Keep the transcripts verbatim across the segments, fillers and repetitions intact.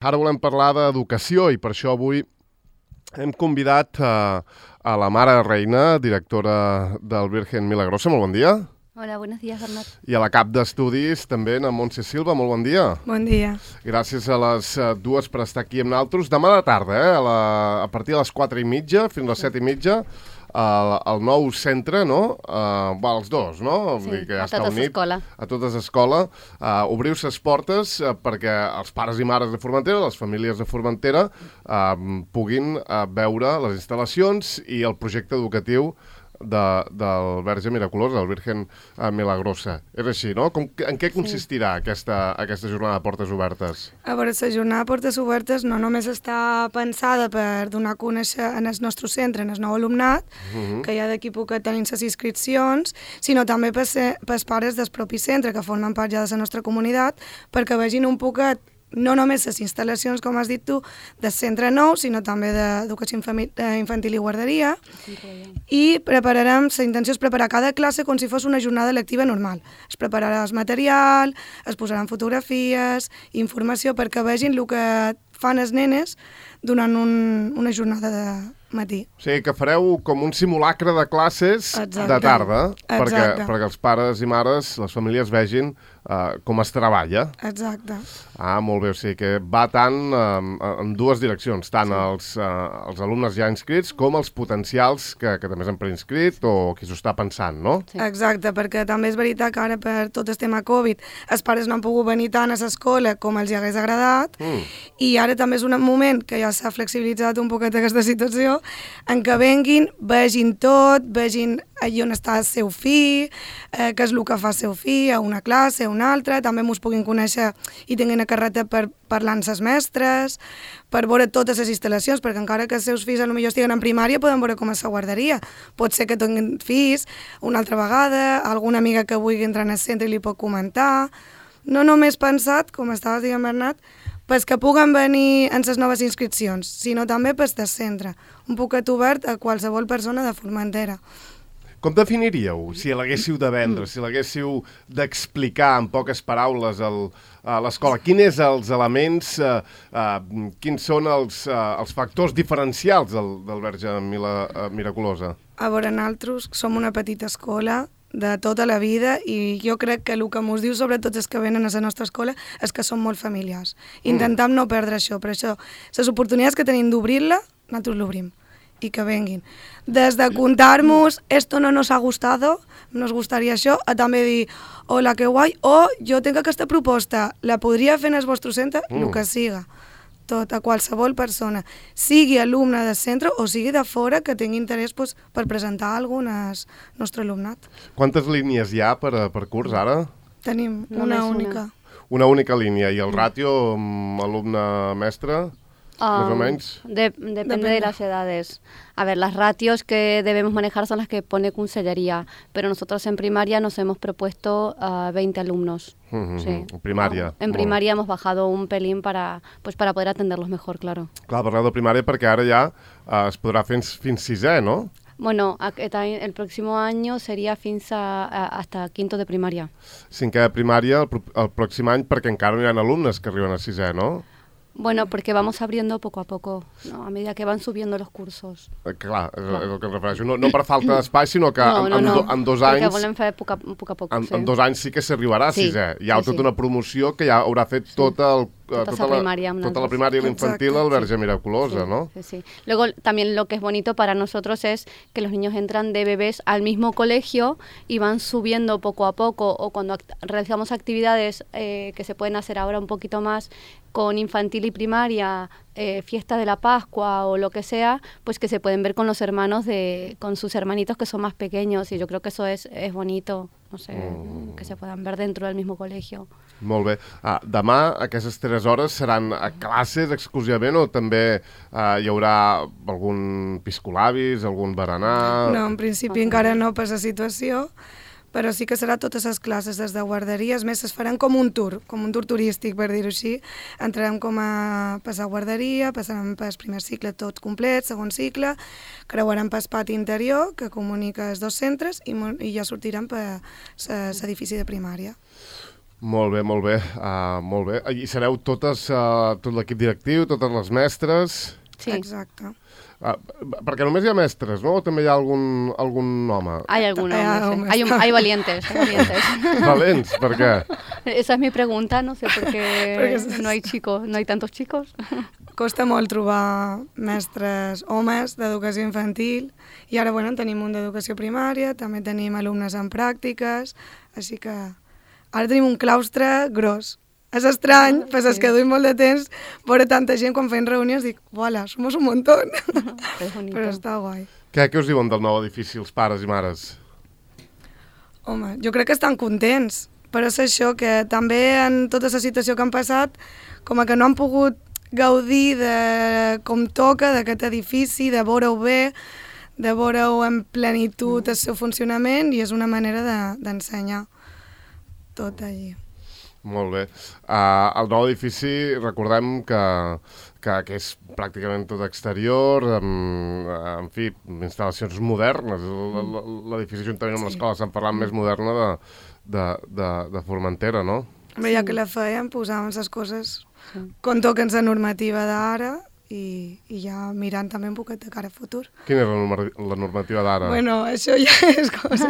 Ara volem parlar d'educació i per això avui hem convidat a, a la Mare Reina, directora del Virgen Milagrosa. Molt bon dia. Hola, buenos días, Bernat. I a la cap d'estudis també, a Montse Silva. Molt bon dia. Bon dia. Gràcies a les uh, dues per estar aquí amb nosaltres. Demà de tarda, eh, a, la, a partir de les quatre i mitja fins a les set i mitja, al, al nou centre, no? Uh, va, els dos, no? Sí, que ja a està totes unit. escola. A totes escola. Uh, obriu ses portes uh, perquè els pares i mares de Formentera, les famílies de Formentera, uh, puguin uh, veure les instal·lacions i el projecte educatiu de, del Verge Miraculosa, del Virgen uh, Milagrosa. És així, no? Com, en què consistirà sí. aquesta, aquesta jornada de portes obertes? A veure, la jornada de portes obertes no només està pensada per donar a conèixer en el nostre centre, en el nou alumnat, uh-huh. que ja d'aquí poc tenim les inscripcions, sinó també per els pares del propi centre, que formen part ja de la nostra comunitat, perquè vegin un poquet no només les instal·lacions, com has dit tu, del centre nou, sinó també d'educació infantil i guarderia. I prepararem, la intenció és preparar cada classe com si fos una jornada lectiva normal. Es prepararà el material, es posaran fotografies, informació, perquè vegin el que fan els nenes durant un, una jornada de matí. O sigui, que fareu com un simulacre de classes Exacte. de tarda, perquè, perquè els pares i mares, les famílies vegin uh, com es treballa. Exacte. Ah, molt bé, o sigui que va tant um, en dues direccions, tant sí. els, uh, els alumnes ja inscrits com els potencials que, que també s'han preinscrit o qui s'ho està pensant, no? Sí. Exacte, perquè també és veritat que ara per tot el tema Covid els pares no han pogut venir tant a l'escola com els hi hagués agradat mm. i ara també és un moment que ja s'ha flexibilitzat un poquet aquesta situació en què venguin, vegin tot, vegin allà on està el seu fill, eh, què és el que fa el seu fill, a una classe, a una altra, també mos puguin conèixer i tinguin a carreta per parlar amb les mestres, per veure totes les instal·lacions, perquè encara que els seus fills potser estiguen en primària, poden veure com és la guarderia. Pot ser que tinguin fills una altra vegada, alguna amiga que vulgui entrar en el centre i li pot comentar. No només pensat, com estaves dient, Bernat, pels que puguen venir en les noves inscripcions, sinó també pels del centre. Un poquet obert a qualsevol persona de Formentera. Com definiríeu, si l'haguéssiu de vendre, si l'haguéssiu d'explicar en poques paraules el, a l'escola? Quins és els elements, eh, eh, quins són els, eh, els factors diferencials del, del Verge Mila, eh, Miraculosa? A veure, nosaltres som una petita escola de tota la vida i jo crec que el que mos diu sobretot els que venen a la nostra escola és que som molt familiars. Intentem mm. no perdre això, per això les oportunitats que tenim d'obrir-la, nosaltres l'obrim i que venguin. Des de contar-nos esto no nos ha gustado, nos gustaria això, a també dir hola, que guai, o jo tinc aquesta proposta, la podria fer en el vostre centre, mm. el que siga. Tot, a qualsevol persona, sigui alumne del centre o sigui de fora que tingui interès pues, per presentar alguna al nostre alumnat. Quantes línies hi ha per, per curs ara? Tenim una Només única. Una. Una única línia. I el ràtio alumne-mestre? Um, más o menos. De, depende, depende de las edades. A ver, las ratios que debemos manejar son las que pone Consellería, pero nosotros en primaria nos hemos propuesto uh, veinte alumnos. Mm-hmm. Sí. En primaria. En primaria hemos bajado un pelín para, pues, para poder atenderlos mejor, claro. Clar, parleu de primària perquè ara ja uh, es podrà fer fins, fins sisè, no? Bueno, el próximo año sería fins a, a, hasta quinto de primaria. Cinquè de primària el, el pròxim any perquè encara no hi ha alumnes que arriben a sisè, no? Bueno, porque vamos abriendo poco a poco, ¿no? A medida que van subiendo los cursos. Eh, clar, és, clar. és el que em refereixo. No, no per falta d'espai, sinó que no, en, no, en, no. do, en dos anys... Perquè volem fer poc a poc. A poc en, sí. en dos anys sí que s'arribarà a sí. sisè. Hi ha sí, tota sí. una promoció que ja haurà fet sí. tota, el, tota, tota, la, primària, tota la primària i l'infantil al Verge sí. Miraculosa, sí, ¿no? Sí, sí. Luego, también lo que es bonito para nosotros es que los niños entran de bebés al mismo colegio y van subiendo poco a poco, o cuando act realizamos actividades eh, que se pueden hacer ahora un poquito más con infantil y primaria, eh, fiesta de la Pascua o lo que sea, pues que se pueden ver con los hermanos, de, con sus hermanitos que son más pequeños, y yo creo que eso es, es bonito, no sé, mm. que se puedan ver dentro del mismo colegio. Molt bé. Ah, demà aquestes tres hores seran a classes exclusivament o també ah, hi haurà algun piscolabis, algun berenar? No, en principi encara no per la situació, però sí que serà totes les classes des de guarderia. És més, es faran com un tour, com un tour turístic, per dir-ho així. Entrarem com a passar guarderia, passarem pel primer cicle tot complet, segon cicle, creuarem pel pati interior, que comunica els dos centres, i, i ja sortirem per l'edifici de primària. Molt bé, molt bé, uh, molt bé. I sereu totes, uh, tot l'equip directiu, totes les mestres? Sí. Exacte. Uh, perquè només hi ha mestres, no? O també hi ha algun, algun home? Hay algunos, Hay no sé. hombres. hay, un- hay valientes, hay valientes. Valents, per què? Esa es mi pregunta, no sé por qué Porque- no hay chicos, no hay tantos chicos. Costa molt trobar mestres homes d'educació infantil i ara bueno, en tenim un d'educació primària, també tenim alumnes en pràctiques, així que ara tenim un claustre gros. És estrany, Ah, pues és sí. que duim molt de temps veure tanta gent quan fem reunions, dic, uala, somos un montón. Es bonito. Però està guai. Què, què us diuen del nou edifici, els pares i mares? Home, jo crec que estan contents, però és això, que també en tota la situació que han passat, com a que no han pogut gaudir de com toca d'aquest edifici, de veure-ho bé, de veure-ho en plenitud el seu funcionament, i és una manera de- d'ensenyar tot allí. Molt bé. Uh, el nou edifici, recordem que, que, que és pràcticament tot exterior, amb, en fi, instal·lacions modernes. L- l- L'edifici, juntament amb Sí. l'escola Sant Ferran, més moderna de, de, de, de Formentera, no? Hombre, ja que la fèiem, posàvem les coses com toquen la normativa d'ara i, i ja mirant també un poquet de cara a futur. Quina és la, norma- la normativa d'ara? Bueno, això ja és cosa...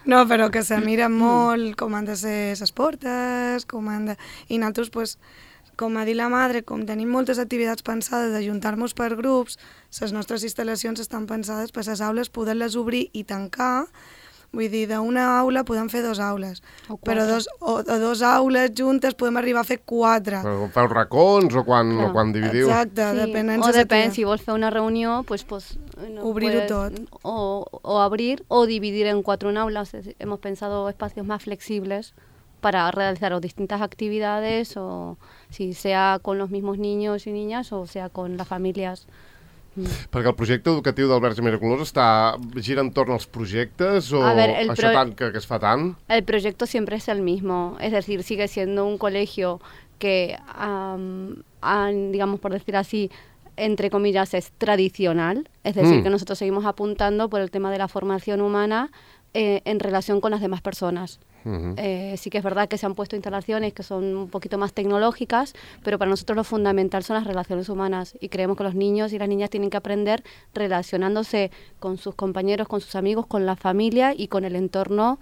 No, però que se mira molt com han de ser les portes, com han de... I nosaltres, pues, com ha dit la madre, com tenim moltes activitats pensades d'ajuntar-nos per grups, les nostres instal·lacions estan pensades per les aules poder-les obrir i tancar. Vull dir, d'una aula podem fer dues aules, O però quatre. dos, o, o dos aules juntes podem arribar a fer quatre. Però quan feu racons o quan, Clar. o quan dividiu? Exacte, Sí, depenent o de depèn, si vols fer una reunió, pues, pues no Obrir-ho puedes- tot. O, o abrir o dividir en cuatro aulas. Es decir, hemos pensado espacios más flexibles para realizar o distintas actividades, o si sea con los mismos niños y niñas o sea con las familias. Mm. Perquè el projecte educatiu del Verge Miraculós està gira entorn als projectes o A ver, el això pro- tant que, que es fa tant? El proyecto siempre es el mismo, es decir, sigue siendo un colegio que, am, han, digamos por decir así, entre comillas, es tradicional, es decir, Mm. que nosotros seguimos apuntando por el tema de la formación humana eh, en relación con las demás personas. Uh-huh. Eh, sí que es verdad que se han puesto instalaciones que son un poquito más tecnológicas, pero para nosotros lo fundamental son las relaciones humanas y creemos que los niños y las niñas tienen que aprender relacionándose con sus compañeros, con sus amigos, con la familia y con el entorno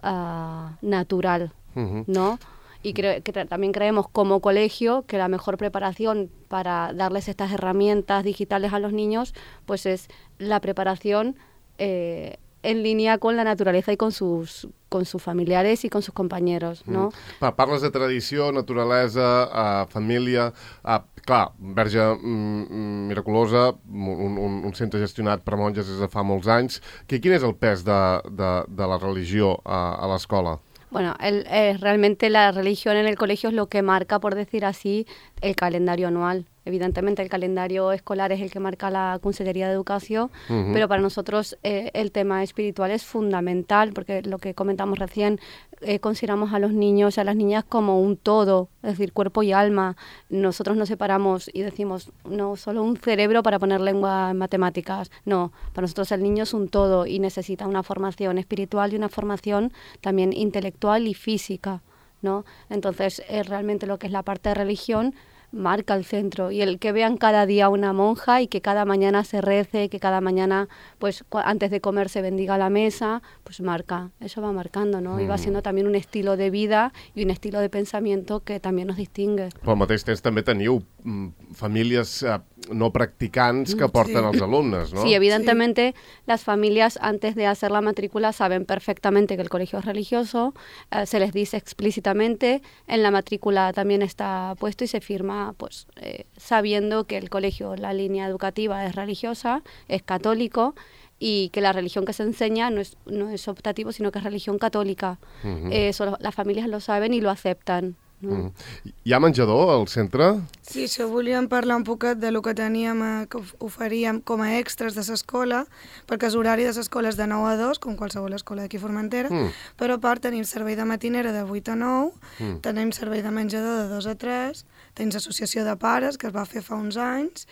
ah, natural, Uh-huh. ¿no? Y creo que tra- también creemos como colegio que la mejor preparación para darles estas herramientas digitales a los niños pues es la preparación eh, en línea con la naturaleza y con sus, con sus familiares y con sus compañeros, ¿no? Mm. Pa- Parles de tradició, naturalesa, uh, família... Uh, clar, Verge mm, mm, Miraculosa, un, un, un centre gestionat per monges des de fa molts anys. Que, quin és el pes de, de, de la religió a, a l'escola? Bueno, el, eh, realmente la religión en el colegio es lo que marca, por decir así, el calendario anual. Evidentemente el calendario escolar es el que marca la Consellería de Educación, Ujú. pero para nosotros eh, el tema espiritual es fundamental, porque lo que comentamos recién, eh, consideramos a los niños y a las niñas como un todo, es decir, cuerpo y alma. Nosotros nos separamos y decimos, no solo un cerebro para poner lengua en matemáticas, no, para nosotros el niño es un todo y necesita una formación espiritual y una formación también intelectual y física, ¿no? Entonces, eh, realmente lo que es la parte de religión marca el centro, y el que vean cada día una monja y que cada mañana se rece, que cada mañana, pues cua- antes de comer se bendiga la mesa, pues marca, eso va marcando, ¿no? Y va siendo también un estilo de vida y un estilo de pensamiento que también nos distingue. Però al mateix temps també teniu mm, famílies uh, no practicants que porten els alumnes, no? Sí, evidentemente las familias antes de hacer la matrícula saben perfectamente que el colegio es religioso, eh, se les dice explícitamente, en la matrícula también está puesto y se firma pues eh, sabiendo que el colegio, la línea educativa es religiosa, es católico y que la religión que se enseña no es, no es optativo, sino que es religión católica. Mhm. Eh, eso lo- las familias lo saben y lo aceptan, ¿no? Mm. Hi ha menjador al centre? Sí, això volíem parlar un poquet de lo que teníem, eh, que of- oferíem com a extras de l'escola, perquè el horari de l'escola és de nou a dos, com qualsevol escola d'aquí a Formentera, Mm. però a part tenim servei de matinera de vuit a nou, Mm. tenim servei de menjador de dos a tres, tenim associació de pares, que es va fer fa uns anys,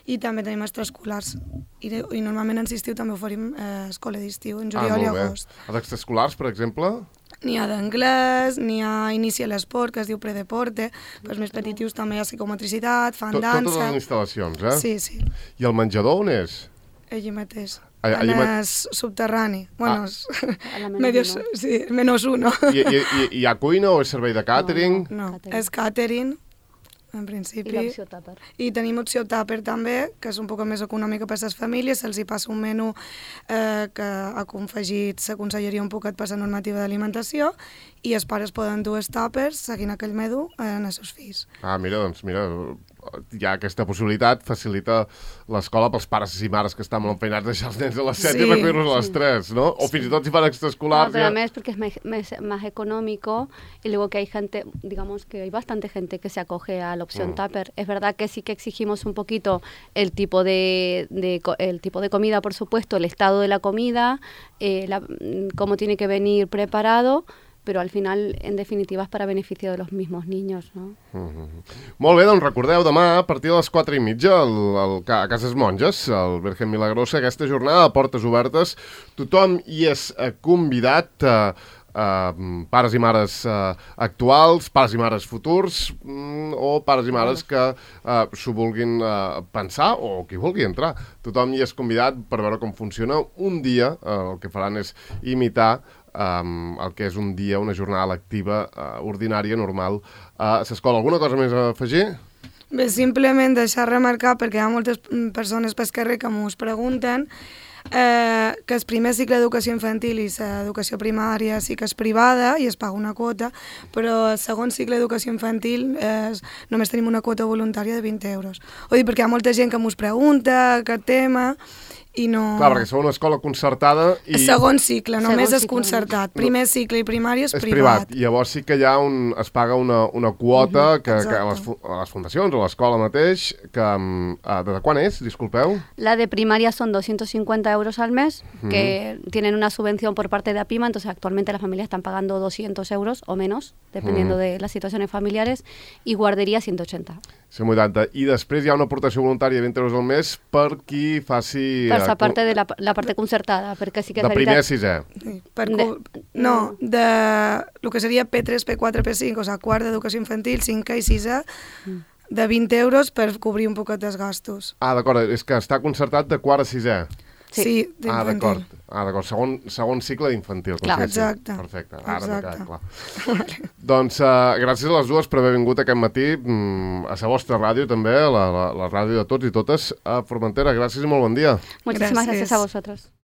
i també tenim extraescolars. I, i normalment en estiu també oferim eh, escola d'estiu, en juliol i molt bé. agost. Els extraescolars, per exemple? N'hi ha d'anglès, n'hi ha inici a l'esport, que es diu predeporte, per als més petitius també hi ha psicomotricitat, fan Tot, dansa... Totes les instal·lacions, eh? Sí, sí. I el menjador on és? Allí mateix. Allà, en allà el subterrani. Bueno, Ah. A la menos medios, uno. sí, menos uno. I, i, i, hi ha cuina o és servei de càtering? No, Catering. és catering, en I principi. l'opció tàper. I tenim opció tàper també, que és un poc més econòmica per a les famílies, se'ls hi passa un menú eh, que ha confegit la conselleria un poquet per la normativa d'alimentació i els pares poden dur els tàpers seguint aquell menú en els seus fills. Ah, mira, doncs mira, hi ha aquesta possibilitat, facilita l'escola pels pares i mares que estan molt empeinats a deixar els nens a les set Sí, i recollir-los a les tres, ¿no? O fins i tot si fan No, extraescolars... pero ja- además porque es me- me- más económico y luego que hay gente, digamos que hay bastante gente que se acoge a la opción Mm. tupper. Es verdad que sí que exigimos un poquito el tipo de, de co- el tipo de comida, por supuesto, el estado de la comida, eh, la- mm, cómo tiene que venir preparado, pero al final, en definitiva, es para beneficio de los mismos niños, ¿no? Molt bé, doncs recordeu, demà a partir de les quatre i mitja el, el, a Cases Monges, el Virgen Milagrosa, aquesta jornada de portes obertes. Tothom hi és eh, convidat, eh, eh, pares i mares eh, actuals, pares i mares futurs, mm, o pares i mares que eh, s'ho vulguin eh, pensar o qui vulgui entrar. Tothom hi és convidat per veure com funciona. Un dia eh, el que faran és imitar um, el que és un dia, una jornada lectiva uh, ordinària, normal, a l'escola. Alguna cosa més a afegir? Bé, simplement deixar remarcar, perquè hi ha moltes mm, persones pel carrer que m'ho pregunten, eh, que el primer cicle d'educació infantil i l'educació primària sí que és privada i es paga una quota, però el segon cicle d'educació infantil és, només tenim una quota voluntària de vint euros. Ho dic perquè hi ha molta gent que m'ho pregunta, aquest tema, i no... Clar, perquè sou una escola concertada i... El segon cicle, només Segon és cicle, concertat. Primer cicle i primari és, és privat. privat. Llavors sí que hi ha un, es paga una, una quota que, que a, les, exacte. fu- a les fundacions o a l'escola mateix, que um, uh, de quan és, disculpeu? La de primaria son doscientos cincuenta euros al mes, que tienen una subvención por parte de APIMA, entonces actualmente las familias están pagando doscientos euros o menos, dependiendo de las situaciones familiares, y guardería ciento ochenta. cent vuitanta. I després hi ha una aportació voluntària de vint euros al mes per qui faci... Per eh, esa parte de la, la parte concertada, perquè sí que és de primer a veritat... sisè. Sí, per De- co- no, de el que seria P tres, P quatre, P cinc, o sigui, quart d'educació infantil, cinquè i sisè, de vint euros per cobrir un poquet dels gastos. Ah, d'acord, és que està concertat de quart a sisè. Sí. Sí, Ah, d'infantil. d'acord. Ah, d'acord. Segon, segon cicle d'infantil. com Clar. si diguéssim. Exacte. Perfecte. Ara m'ha Exacte. quedat clar. Doncs uh, gràcies a les dues per haver vingut aquest matí mm, a la vostra ràdio també, la, la, la ràdio de tots i totes a Formentera. Gràcies i molt bon dia. Muchísimas Gracias. gracias a vosotros.